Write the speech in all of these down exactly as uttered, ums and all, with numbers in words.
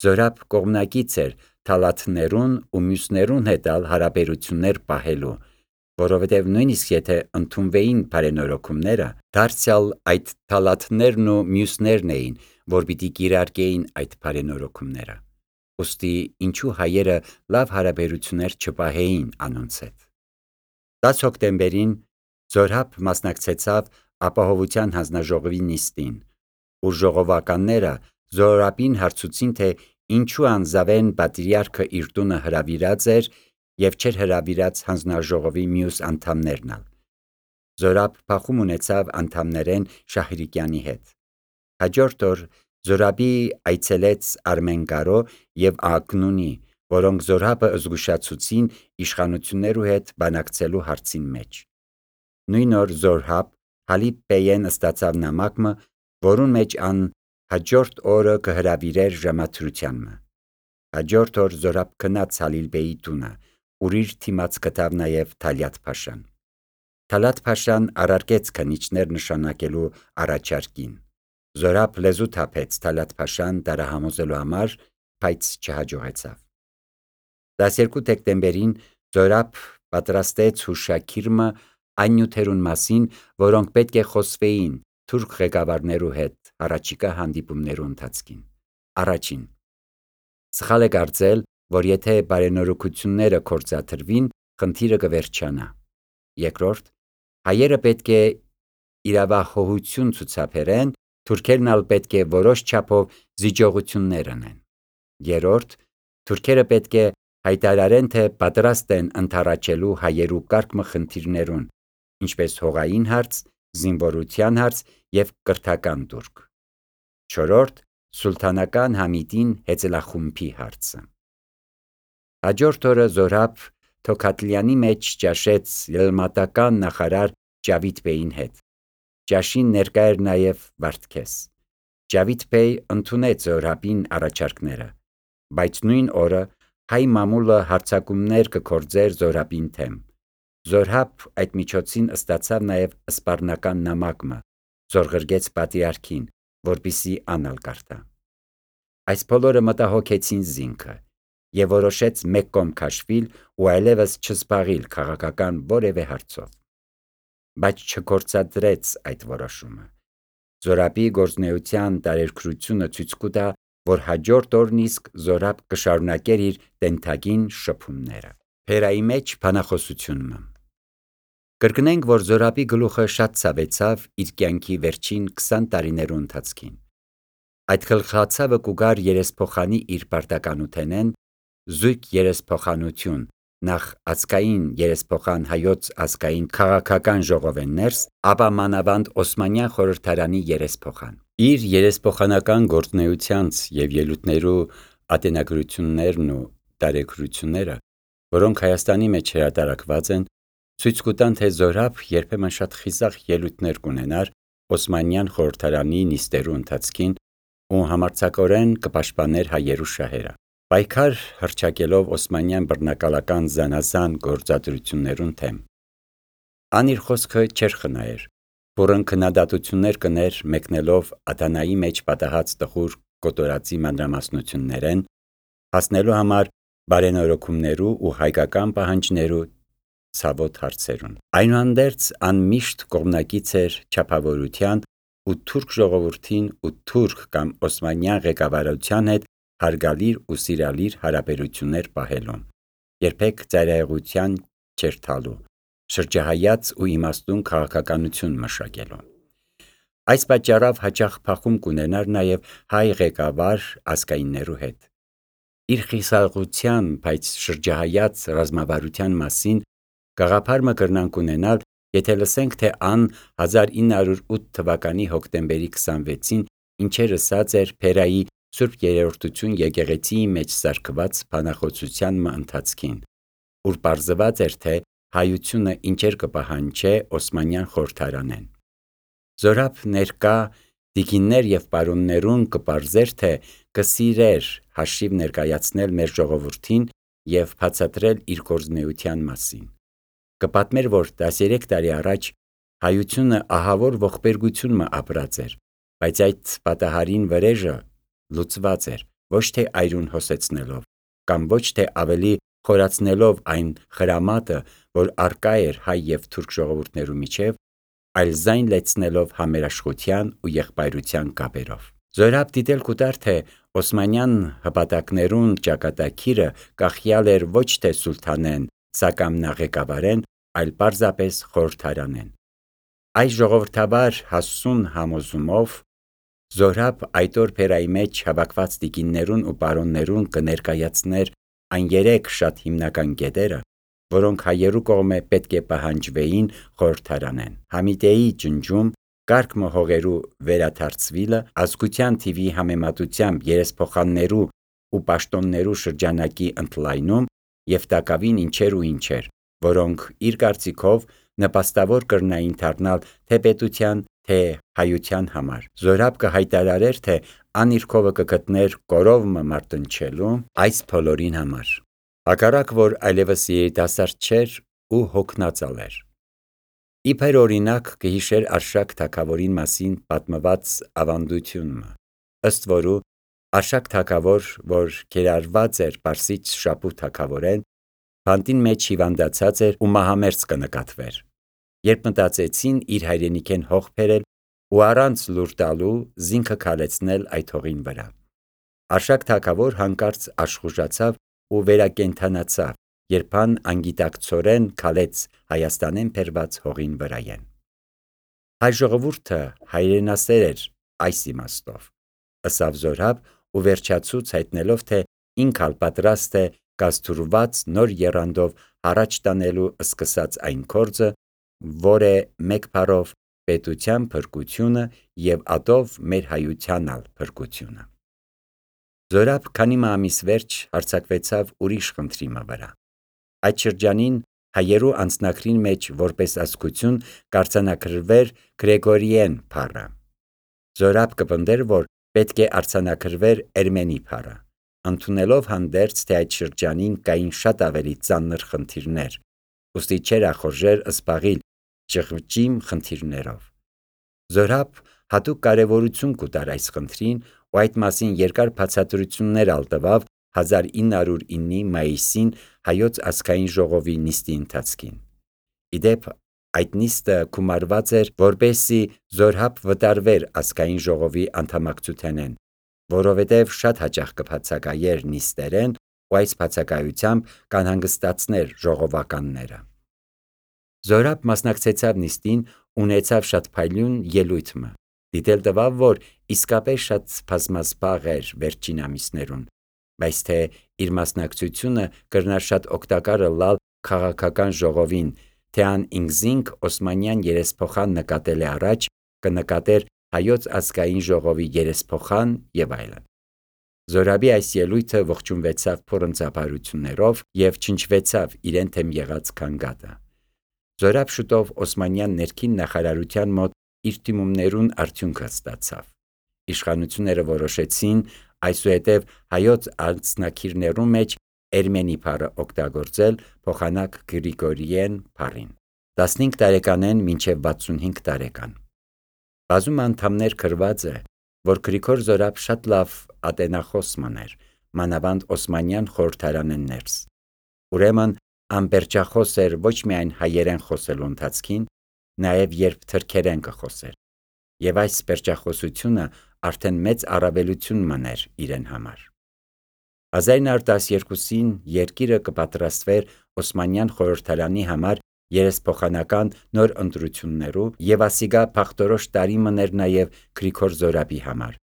Զորապ կողմնակից էր թալաթներուն ու մյուսներուն հետ ալ հարաբերություններ պահելու, որովհետև նույնիսկ եթե ընդունվեին բարենորոգումները, դարձյալ այդ թալաթներն ու մյուսներն էին, որ պիտի կիրարկեին այդ բարենորոգումները։ Ուստի ինչու հայերը լավ հարաբերություններ չպահեին անոնց հետ։ տասը հոկտեմբերին Զորապ մասնակցեցավ ապահովության հանձնաժողովի նիստին, ուր ժողովականները Զորապին հարցուցին, թե ինչու անձավեն պատրիարքը իր տունը հրավիրած էր և չէր հրավիրած հանձնաժողովի մյուս անդամներն ալ։ Զորապ փախում ունեցավ անդամներեն Շահրիկյանի հետ։ Հաջորդ օր Զորապի այցելեց Արմենկարո և Ակնունի, որոնք Զորապը զգուշացուցին իշխանություններու հետ բանակցելու հարցին մեջ։ Նույն օր Զորապ Հալիպ Բեյեն ստացավ նամակը, որուն մեջ ան հաջորդ օրը կհրավիրեր ժամադրությանմը։ Հաջորդ օր Զորապ գնաց Հալիլ Բեյի տունը, ուր իր թիմած գտավ նաև Թալյատ Փաշան։ Թալատ Փաշան առարկեց քննիչներ նշանակելու առաջարկին։ Զորապ լեզու թափեց Թալատ Փաշան դարահամոզելու համար, բայց չհաջողեցավ։ տասներկու դեկտեմբերին Զորապ պատրաստեց հուշագիրը այն նյութերուն մասին, որոնք պետք է խոսվեին թուրք ղեկավարներու հետ առաջիկա հանդիպումներու ընթացքին։ Առաջին. սխալ է կարծել, որ եթե բարենորոգությունները կործադրվին, խնդիրը կվերջանա։ Երկրորդ. հայերը պետք է իրավահողություն ցուցաբերեն, թուրքերն ալ պետք է որոշ չափով զիջողություններ անեն։ Երրորդ. թուրքերը պետք է հայտարարեն, թե պատրաստ են ընդառաջելու հայերու կարգ խնդիրներուն, ինչպես հողային հարց, զինվորության հարց և կրթական դուրգ։ Չորրորդ. սուլթանական Համիդին հեծելախումբի հարցը։ Հաջորդ օրը Զորապ Թոքաթլյանի մեջ ճաշեց ելմատական նախարար Ջավիդ Բեյին հետ։ Ճաշին ներկա էր նաև Վարդգես։ Ջավիդ Բեյ ընդունեց Զորապին առաջարկները, բայց նույն օրը հայ մամուլը հարձակումներ կգործեր Զորապին դեմ։ Զորապ այդ միջոցին ստացավ նաև սպառնական նամակը, զորղրգեց պատրիարքին, որպեսզի ան ալ կարդա։ Այս բոլորը մտահոգեցին զինքը և որոշեց մեկ կողմ քաշվել ու այլևս չզբաղիլ քաղաքական որևէ հարցով։ Բայց չգործադրեց այդ որոշումը։ Զորապի գործունեության տարեգրությունը ցույց կտա, որ հաջորդ օրն իսկ Զորապ կշարունակեր իր տենթագին շփումները։ Փերայի մեջ բանախոսությունը։ Կրկնենք, որ Զորապի գլուխը շատ ցավեցավ իր կյանքի վերջին քսան տարիներու ընթացքին։ Այդ գլխացավը կուգար երեսփոխանի իր պարտականութենեն, զույգ երեսփոխանություն, նախ ազգային երեսփոխան հայոց ազգային քաղաքական ժողովեն ներս, ապա մանավանդ Օսմանյան խորհրդարանի երեսփոխան։ Իր երեսփոխանական գործունեությանց և ելույթներու ատենագրություններն ու տարեգրությունները, որոնք Հայաստանի մեջ հրատարակված են, ցույց կտան, թե Զորապ երբեմն շատ խիզախ ելույթներ կունենար Օսմանյան խորհրդարանի նիստերու ընթացքին ու համարձակորեն կպաշտպաներ հայերու շահերը։ Պայքար հռչակելով Օսմանյան բռնակալական զանազան գործադրություններուն դեմ։ Ան իր խոսքը չէր խնայեր, որն քննադատություններ կներ մեկնելով ադանայի մեջ պատահած տխուր կոտորածի մանրամասնություններեն, հասնելու համար բարենորոգումներու ու հայկական պահանջներու ցավոտ հարցերուն։ Այնուհանդերձ ան միշտ կողմնակից էր չափավորության ու թուրք ժողովրդին ու թուրք կամ Օսմանյան ղեկավարության հետ հարգալիր ու սիրալիր հարաբերություններ պահելուն, երբեք ծայրահեղության չէր թալու, շրջահայաց ու իմաստուն քաղաքականություն մշակելուն։ Այս պատճառով հաճախ փախում կունենար նաև հայ ղեկավար ազգայիններու հետ։ Իր խիսաղության, բայց շրջահայաց ռազմավարության մասին գաղափար մը կրնանք ունենալ, եթե լսենք, թե ան հազար ինը հարյուր ութ թվականի հոկտեմբերի քսանվեցին ինչեր ըսած էր Փերայի Սուրբ Երրորդություն եկեղեցիի մեջ սարքված բանախոսության մը ընթացքին, ուր պարզված էր, թե հայությունը ինչեր կպահանջե Օսմանյան խորհրդարանեն։ Զորապ ներկա տիկիններ և պարոններուն կպարզեր, թե կսիրեր հաշիվ ներկայացնել մեր ժողովրդին և բացատրել իր գործունեության մասին։ Կպատմեր, որ տասներեք տարի առաջ հայությունը ահավոր ողբերգություն մը ապրած էր, բայց այդ պատահարին վրեժը լուծված էր, ոչ թե այրուն հոսեցնելով, կամ ոչ թե ավելի խորացնելով այն խրամատը, որ արկա էր հայ և թուրք ժողովուրդներու միջև, այլ զայն լեցնելով համերաշխության ու եղբայրության կապերով։ Զորհաբ դիտել կուտար, թե Օսմանյան հպատակներուն ճակատագիրը կախյալ էր ոչ թե սուլթանեն, սակամնա ղեկավարեն, այլ պարզապես խորհրդարանեն։ Այս ժողովրդավար հասուն համոզումով Զորհաբ այդ օր փերայի մեջ հավաքված տիկիններուն ու պարոններուն կներկայացներ այն երեք շատ հիմնական կետերը, որոնք հայերու կողմէ պետք է պահանջվեին խորհրդարանեն. Համիտեի ջնջում, կարգ մը հողերու վերադարձվիլը, ազգության թիվի համեմատությամբ երեսփոխաններու ու պաշտոններու շրջանակի ընդլայնում և տակավին ինչեր ու ինչեր, որոնք իր կարծիքով նպաստավոր կրնային դառնալ թե պետության, թե հայության համար։ Զորհաբ կհայտարարեր, թե ան իր քովը կգտներ կորով մը մարտնչելու այս բոլորին համար, հակառակ որ այլևս երիտասարդ չէր ու հոգնածալ էր։ Իբր օրինակ կհիշեր Արշակ թագավորին մասին պատմված ավանդությունը, ըստ որու Արշակ թագավոր, որ կերարված էր Պարսից շապու թագավորեն, բանտին մեջ հիվանդացած էր ու մահամերձ կնկատվեր։ Երբ մտածեցին իր հայրենիքեն հող բերել ու առանց լուր տալու զինքը քալեցնել այդ հողին վրա, Արշակ թագավոր հանկարծ աշխուժացավ ու վերակենդանացավ, երբ ան անգիտակցորեն քալեց Հայաստանեն բերված հողին վրայեն։ Հայ ժողովուրդը հայրենասեր էր այս իմաստով, ըսավ Զորհաբ ու վերջացուց հայտնելով, թե ինքալ պատրաստ է կազդուրված նոր եռանդով առաջ տանելու սկսած այն գործը, որ է մեկ բառով պետության փրկությունը և ատով մեր հայությանալ փրկությունը։ Զորհաբ քանի մը ամիս վերջ հարձակվեցավ ուրիշ խնդրի մը վրա։ Այդ շրջանին հայերու անձնագրին մեջ որպես ազգություն կարձանագրվեր Գրեգորիեն բառը։ Զորհաբ կպնդեր, որ պետք է արձանագրվեր Էրմենի բառը, ընդունելով հանդերձ, թե այդ շրջանին կային շատ ավելի ծանր խնդիրներ, ուստի չէր ախորժեր զբաղիլ ճղճիմ խնդիրներով։ Զորհաբ հատուկ կարևորություն կուտար այս խնդրին ու այդ մասին երկար բացատրություններ ալ տվավ հազար ինը հարյուր իննի մայիսին հայոց ազգային ժողովի նիստի ընթացքին։ Իդեպ այդ նիստը գումարված էր, որպեսզի Զորհաբ վտարվեր ազգային ժողովի անդամակցութենեն, որովհետև շատ հաճախ կբացակայեր նիստերեն ու այս բացակայությամբ կանհանգստացներ ժողովականները։ Զորհաբ մասնակցեցավ նիստին, ունեցավ շատ փայլուն ելույթ մը, դիտել տվավ, որ իսկապես շատ բազմազբաղ էր վերջին ամիսներուն, բայց թե իր մասնակցությունը կրնար շատ օգտակար ըլլալ քաղաքական ժողովին, թե ան ինքզինք Օսմանյան երեսփոխան նկատել է առաջ, կնկատեր հայոց ազգային ժողովի երեսփոխան և այլն։ Զորհաբի այս ելույթը ողջունվեցավ փորձաբարություններով և չնչվեցավ իրեն թեմ եղած քանգատը։ Զորհաբ շուտով Օսմանյան ներքին նախարարության մոտ իր դիմումներուն արդյունքը ստացավ։ Իշխանությունները որոշեցին այսուհետև հայոց անձնագիրներու մեջ Էրմենի բառը օգտագործել փոխանակ Գրիգորիեն բառին։ տասնհինգ տարեկանեն մինչև վաթսունհինգ տարեկան։ Բազում անդամներ գրված է, որ Գրիգոր Զորհաբ շատ լավ ատենախոս մըն էր, մանավանդ Օսմանյան խորհրդարանեն ներս։ Ուրեմն անպերջախոս էր ոչ միայն հայերեն խոսելու ընթացքին, նաև երբ թրքերեն կխոսեր, և այս պերջախոսությունը արդեն մեծ առավելություն մըն էր իրեն համար։ հազար ինը հարյուր տասներկուսին երկիրը կպատրաստվեր Օսմանյան խորհրդարանի համար երեսփոխանական նոր ընտրություններու և ասիկա փախտորոշ տարի մըն էր նաև Գրիգոր Զորհաբի համար,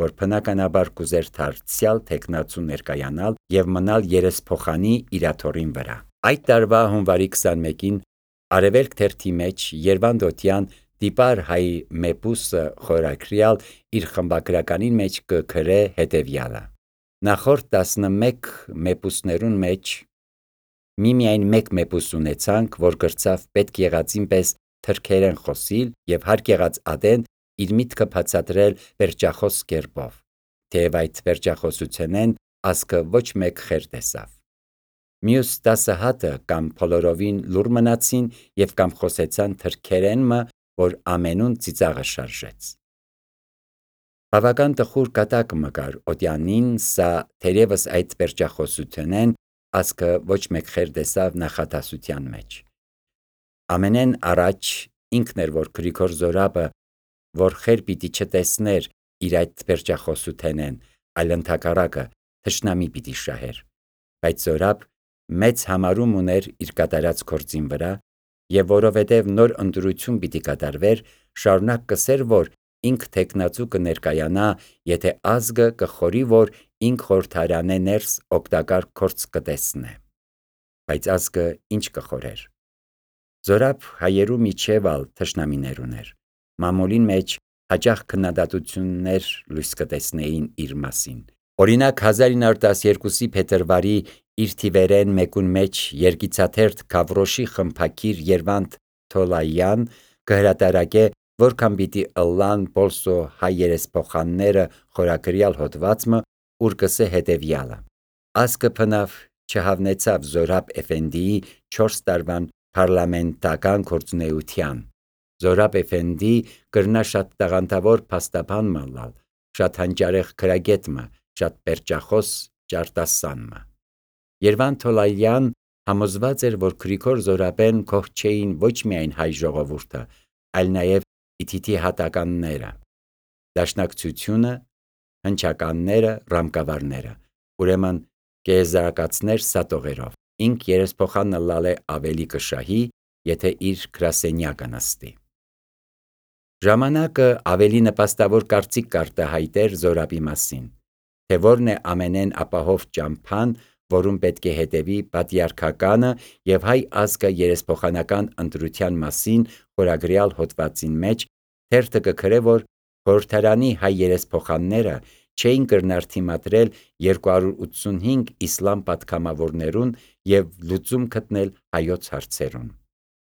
որ բնականաբար կուզեր դարձյալ թեկնածու ներկայանալ և մնալ երեսփոխանի իրաթոռին վրա։ Այդ տարվա հունվարի քսանմեկին Արևելք թերթի մեջ Երվանդոտյան Տիպար հայ Մեպուսը խորագրյալ իր խմբագրականին մեջ կը գրե հետևյալը. նախորդ տասնմեկ մեպուսներուն մեջ միմիայն մեկ մեպուս ունեցանք, որ գրծավ պետք եղածին պես թրքերեն խոսիլ և հարկ եղած ատեն իր միտքը բացատրել պերջախոս կերպով, թեև այդ պերջախոսութենեն ազգը ոչ մեկ խեր տեսավ։ Մյուս տասը հատը կամ բոլորովին լուռ մնացին և կամ խոսեցան թրքերեն մը, որ ամենուն ծիծաղը շարժեց։ Բավական տխուր կատակ մկար օտյանին, սա թերևս այդ պերճախոսությունեն ասկը ոչ մեկ խեր դեսավ նախատասության մեջ։ Ամենեն առաջ ինքն էր, որ Գրիգոր Զորաբը, որ խեր պիտի չտեսներ իր այդ պերճախոսութենեն, այլ ընդհակառակը թշնամի պիտի շահեր։ Բայց Զորաբ մեծ համարում ուներ իր կատարած գործին վրա, եւ որովհետեւ նոր ընտրություն պիտի կատարվեր, շարունակ կսեր, որ ինք թեկնածու կներկայանա, եթե ազգը կխորի, որ ինք խորհրդարանե ներս օգտակար գործ կտեսնե։ Բայց ազգը ինչ կխորեր։ Զորաբ հայերու միջև ալ թշնամիներ ուներ։ Մամուլին մեջ հաճախ քննադատություններ լույս կտեսնեին իր մասին։ Օրինակ հազար ինը հարյուր տասներկուսի փետրվարի իր թիվերեն մեկուն մեջ երգիծաթերթ Գավրոշի խմբակիր Երվանդ Թոլայան կհրատարակե, որքան պիտի ըլլան Պոլսո հայ երեսփոխանները խորագրյալ հոդվածը, ուր կսե հետևյալը. ազգը փնավ չհավնեցավ Զորաբ Էֆենդիի չորս տարվան parlamentakan գործունեության։ Զորաբ Էֆենդի կրնա շատ տաղանդավոր փաստաբան մըլլալ, շատ հանճարեղ քրագետմը, շատ պերճախոս ճարտասանմը։ Երվանդ Թոլայան համոզված էր, որ Գրիգոր Զորաբեն կող չէին ոչ միայն հայ ժողովուրդը, այլ նաև իթիթի հատականները, դաշնակցությունը, հնչականները, ռամկավարները, ուրեմն կեզարակացներ սատողերով։ Ինք երեսփոխանը լալե ավելի կշահի, եթե իր գրասենյակը նստի։ Ժամանակը ավելի նպաստավոր կարծիք կարտահայտեր Զորաբի մասին, թե որն է ամենեն ապահով ճամփան, որում պետք է հետևի պատիարքականը եւ հայ ազգը երեսփոխանական ընտրության մասին խորագրյալ հոդվածին մեջ թերթը կգրե, որ խորհրդարանի հայ երեսփոխանները չէին կրնար թիմադրել երկու հարյուր ութսունհինգ իսլամ պատգամավորներուն եւ լուծում գտնել հայոց հարցերուն։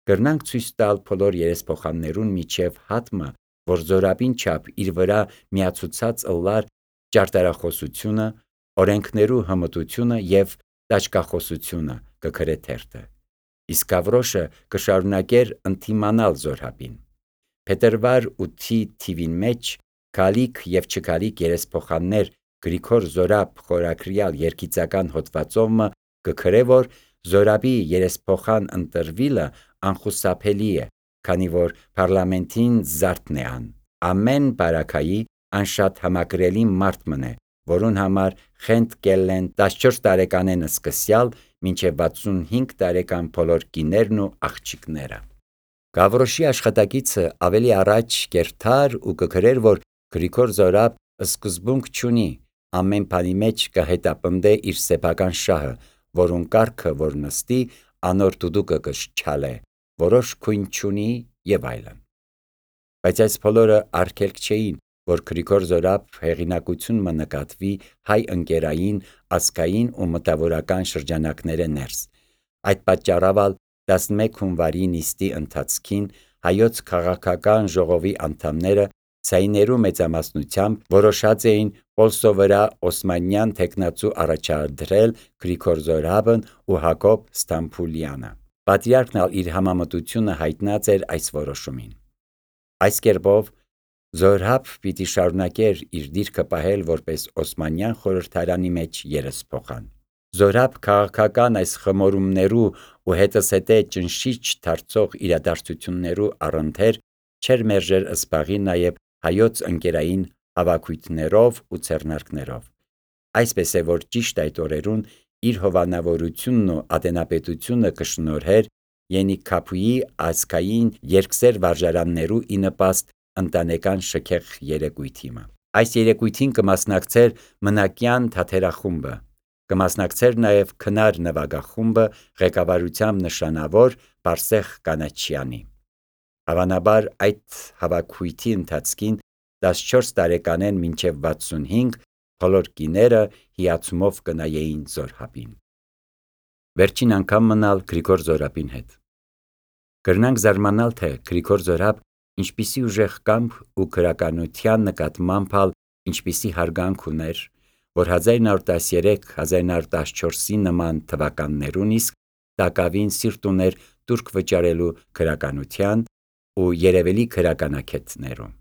Կրնանք ցույց տալ բոլոր երեսփոխաններուն միջև հատմը, որ Զորաբին չափ իր վրա միացուցած ըլլար ճարտարախոսությունը, օրենքներու հմտությունը եւ տաճկախոսությունը կգրե թերթը։ Իսկ Գավրոշը կշարունակեր ընդդիմանալ Զորաբին։ Փետրվար ութի թիվին մեջ Գալիք եւ չգալիք երեսփոխաններ Գրիգոր Զորաբ խորագրյալ երգիծական հոդվածովը կգրե, որ Զորաբի երեսփոխան ընտրվիլը անխուսափելի է, քանի որ parlamentin զարդն է ան։ Ամեն բարակայի ան շատ համակրելի մարդ մնե, որուն համար խենթ կելլեն տասնչորս տարեկանեն սկսյալ մինչև վաթսունհինգ տարեկան բոլոր կիներն ու աղջիկները։ Գավրոշի աշխատակիցը ավելի առաջ կերթար ու կգրեր, որ Գրիգոր Զորաբ սկզբունք չունի, ամեն բանի մեջ կհետապնդե իր սեփական շահը, որուն կարգը որ նստի, անոր դուդուկը կշչալե, որոշ քույն չունի եւ այլն։ Բայց այս բոլորը արգելք չէին, որ Գրիգոր Զորաբ հեղինակություն մը նկատվի հայ ընկերային, ազգային ու մտավորական շրջանակները ներս։ Այդ պատճառով ալ տասնմեկ հունվարի նիստի ընթացքին հայոց քաղաքական ժողովի անդամները ցայներու մեծամասնությամբ որոշած էին Պոլսո վրա օսմանյան թեկնածու առաջադրել Գրիգոր Զորաբն ու Հակոբ Ստամբուլյանը։ Պատրիարքն ալ իր համամտությունը հայտնած էր այս որոշումին։ Այս կերպով Զորաբ պիտի շարունակեր իր դիրքը պահել որպես Օսմանյան խորհրդարանի մեջ երեսփոխան։ Զորաբ քաղաքական այս խմորումներու ու հետսհետե ճնշիչ դարձող իրադարձություններու առընթեր չեր մերժեր ըսպաղի նաև հայոց ընկերային հավաքույթներով ու ցերնարկներով։ Այսպես է, որ ճիշտ այդ օրերուն իր հովանավորությունն ու ատենապետությունը կշնորհեր Ենիքափուի ազգային երկսեր վարժարաններու ի նպաստ ընտանեկան շքեղ երեկույթիմը։ Այս երեկույթին կմասնակցեր մնակյան թաթերախումբը, կմասնակցեր նաև քնար նվագախումբը ղեկավարությամբ նշանավոր Բարսեղ Կանաչյանի։ Հավանաբար այդ հավաքույթի ընթացքին տասնչորս տարեկանեն մինչև վաթսունհինգ բոլոր կիները հիացումով կնայեին Զորաբին։ Վերջին անգամ մնալ Գրիգոր Զորաբին հետ։ Կրնանք զարմանալ, թե Գրիգոր Զորաբ ինչպիսի ուժեղ կամք ու քրականության նկատմամբ ալ ինչպիսի հարգանք ուներ, որ հազար ինը հարյուր տասներեք հազար ինը հարյուր տասնչորսի նման թվականներուն իսկ տակավին սիրտ ուներ տուրք վճարելու քրականության ու երևելի քրականակետներում։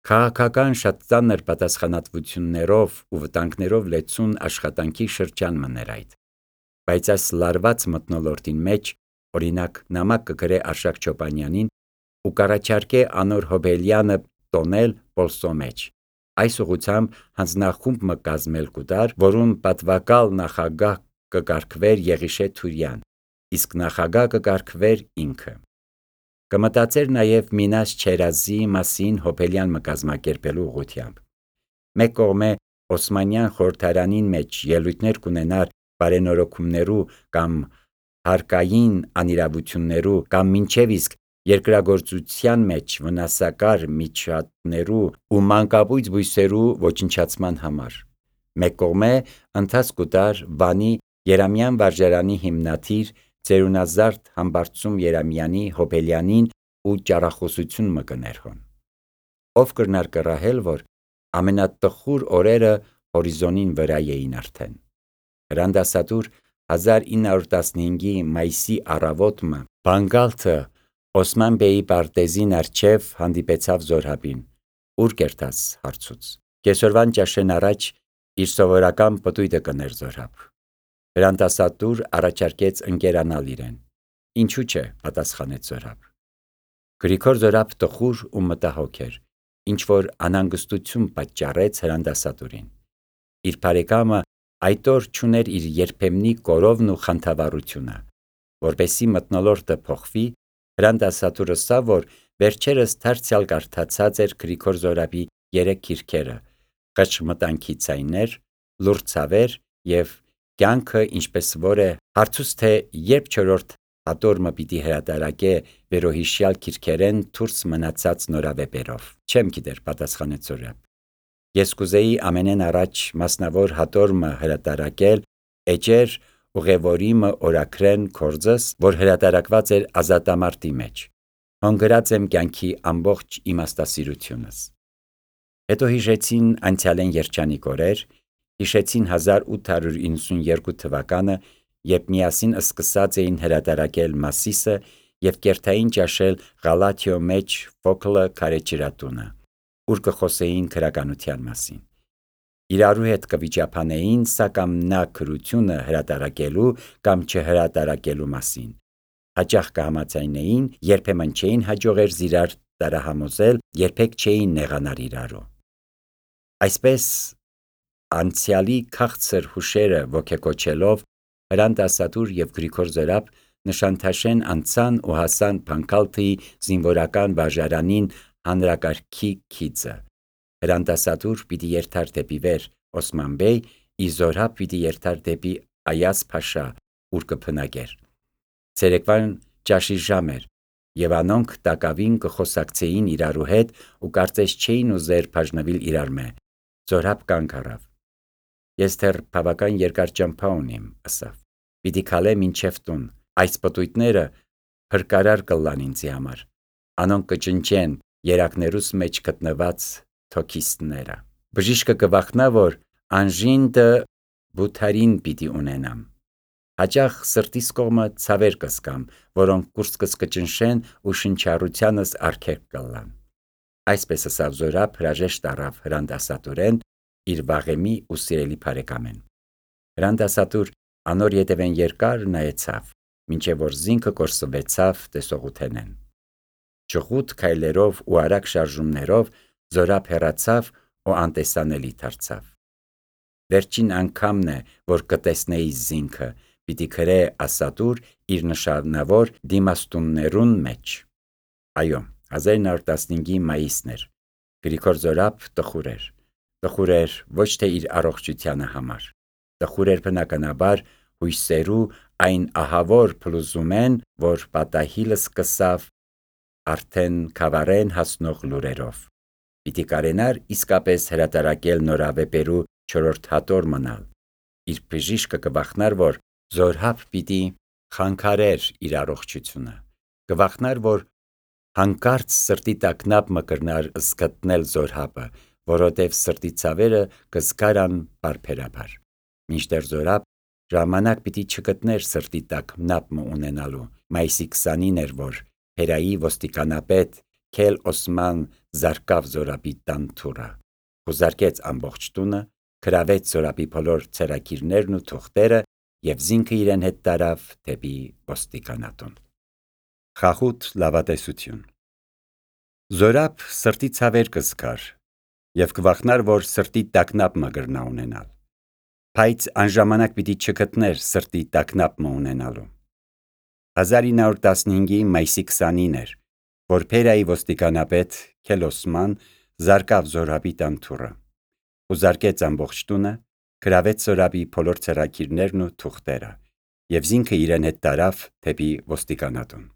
Քաղաքական շատ ծանր պատասխանատվություններով ու վտանգներով լեցուն աշխատանքի շրջան մներ այդ։ Բայց այս լարված մթնոլորտին մեջ, օրինակ, նամակ կգրե Արշակ Չոպանյանին ու կառաջարկե անոր Հոբելյանը տոնել Պոլսո մեջ։ Այս ուղղությամբ հանձնախումբ մը կազմել կուտար, որում պատվակալ նախագահ կկարգվեր Եղիշե Թուրյան, իսկ նախագահ կկարգվեր ինքը։ Կմտածեր նաև Մինաս Չերազի մասին Հոբելյան մը կազմակերպելու ուղղությամբ։ Մեկ կողմէ Օսմանյան խորհրդարանին մեջ ելույթներ կունենար բարենորոգումներու կամ հարկային անիրավություններու կամ մինչև իսկ երկրագործության մեջ վնասակար միջատներու ու մանկաբույծ բույսերու ոչնչացման համար։ Մեկ կողմէ ընթաց կուտար Վանի Երամյան վարժարանի հիմնադիր ծերունազարդ Համբարձում Երամյանի Հոբելյանին ու ճառախոսություն մը կներհոն։ Ով կրնար կռահել, որ ամենատխուր օրերը հորիզոնին վրա էին արդեն։ Հրանդասատուր հազար ինը հարյուր տասնհինգի մայիսի առավոտը Բանգալթը Օսման բեի պարտեզին առջև հանդիպեցավ Զորհաբին։ Ուր կերտաս հարցուց։ Կեսօրվան ճաշեն առաջ իր սովորական պտույտը կներ Զորհաբ։ Հրանդասատուր առաջարկեց ընկերանալ իրեն։ Ինչու՞ չէ, պատասխանեց Զորհաբ։ Գրիգոր Զորհաբ տխուր ու մտահոգ էր, ինչ որ անհանգստություն պատճառեց հրանդասատուրին։ Իր բարեկամը այդ օր չուներ իր երբեմնի կորովն ու խանդավառությունը։ Որպեսի մթնոլորտը փոխվի, հրանդասատուրը սա, որ վերջերս դարձյալ կարդացած էր Գրիգոր Զորհաբի երեք քիրքերը՝ «Խճմտանքի ցայներ», «Լուռ ցավեր» եւ «Կյանքը ինչպես որ է», հարցուց թե երբ չորրորդ հատորը պիտի հրատարակե վերոհիշյալ քիրքերեն դուրս մնացած նորավեպերով։ Չեմ գիտեր, պատասխանեց Զորհաբ։ Ես կուզեի ամենեն առաջ մասնավոր հատորը հրատարակել էջեր ուղևորիմը օրաքրեն կորձս, որ հրատարակված էր Ազատամարտի մեջ։ Հոնգրած եմ կյանքի ամբողջ իմաստասիրությունս։ Հետո հիշեցին անցյալեն երջանիկ օրեր, հիշեցին հազար ութ հարյուր իննսունյոթ թվականը, երբ միասին սկսած էին հրատարակել Մասիսը եւ կերթային ճաշել Ղալաթիո մեջ Ֆոքլը քարեջրատունը, ուր կխոսեին քրականության մասին։ Իրարու հետ կվիճափանեին սա կամ նա քրությունը հրատարակելու կամ չհրատարակելու մասին։ Հաճախ կհամաձայնեին, երբեմն չէին հաջողեր զիրար տարահամոզել, երբեք չէին նեղանար իրարու։ Այսպես անցյալի քաղցր հուշերը ոգեկոչելով հրանդասատուր եւ Գրիգոր Զորհաբ նշանթաշեն անցան ու հասան Բանգալթի զինվորական վարժարանին հանրակարգի քիծը։ Հրանդասատուր պիտի երթար դեպի վեր Օսման բեյ, իսկ Զորհաբ պիտի երթար դեպի Այազ Փաշա, ուր կփնագեր։ Ցերեկվան ճաշի ժամ էր, եւ անոնք տակավին կխոսակցեին իրարու հետ ու կարծես չէին ուզեր բաժնվել իրար մե։ Զորհաբ կանգ առավ։ Ես դեռ բավական երկար ճամփա ունիմ, ասավ։ Պիտի քալեմ մինչև տուն։ Այս պտույտները փրկարար կլան ինձի համար։ Անոնք կճնճեն երակներուս մեջ գտնված թոքիստները։ Բժիշկը կվախնա, որ անժինտը բութարին պիտի ունենամ։ Հաճախ սրտիս կողմը ցավեր կսկամ, որոնք կուրծքս կճնշեն ու շնչառությանս արգելք կլան։ Այսպես ասավ Զորհաբ հրաժեշտ առավ հրանդասատուրեն իր վաղեմի ու սիրելի բարեկամեն։ Հրանդասատուր անոր ետևեն երկար նայեցավ, մինչև որ զինքը կորսվեցավ տեսողութենեն։ Ճղուտ քայլերով ու արագ շարժումներով Զորհաբ հեռացավ ու անտեսանելի դարձավ։ Վերջին անգամն է, որ կտեսնեի զինքը, պիտի քրե ասատուր իր նշանավոր դիմաստուններուն մեջ։ Այո, հազար ինը հարյուր տասնհինգի մայիսն էր։ Գրիգոր Զորհաբ տխուր էր։ Տխուր էր ոչ թե իր առողջությանը համար։ Տխուր էր բնականաբար հույսերու այն ահավոր փլուզումեն, որ պատահիլը սկսավ արդեն Քավառեն հասնող լուրերով։ Պիտի կարենար իսկապես հրատարակել նորավեպերու չորրորդ հատոր մնալ։ Իր բժիշկը կվախնար, որ Զորհաբ պիտի խանգարեր իր առողջությունը։ Կվախնար, որ հանկարծ սրտի տագնապ մը կրնար զգտնել Զորհաբը, որովհետև սրտի ցավերը կզգարան բարբերաբար։ Մինչդեռ Զորհաբ ժամանակ պիտի չգտներ սրտի տագնապ մը ունենալու։ Մայիսի քսանինն էր, որ Փերայի ոստիկանապետ Քել Օսման զարկավ Զորաբի տան թուռը, խուզարկեց ամբողջ տունը, գրավեց Զորաբի բոլոր ցերակիրներն ու թուղթերը եւ զինքը իրեն հետ տարավ դեպի ոստիկանատուն։ Խախուտ լավատեսություն։ Զորաբ սրտի ցավեր կզգար եւ կվախնար, որ սրտի տագնապ մը գրնա ունենալ, բայց անժամանակ պիտի չգտներ սրտի տագնապ մը ունենալու։ հազար ինը հարյուր տասնհինգի մայիսի քսանինը էր, որ Փերայի ոստիկանապետ Քելոսման զարկավ Զորաբի տան թուռը, խուզարկեց ամբողջ տունը, գրավեց Զորաբի բոլոր ցերակիրներն ու թուղթերը եւ զինքը իրեն հետ տարավ դեպի ոստիկանատուն։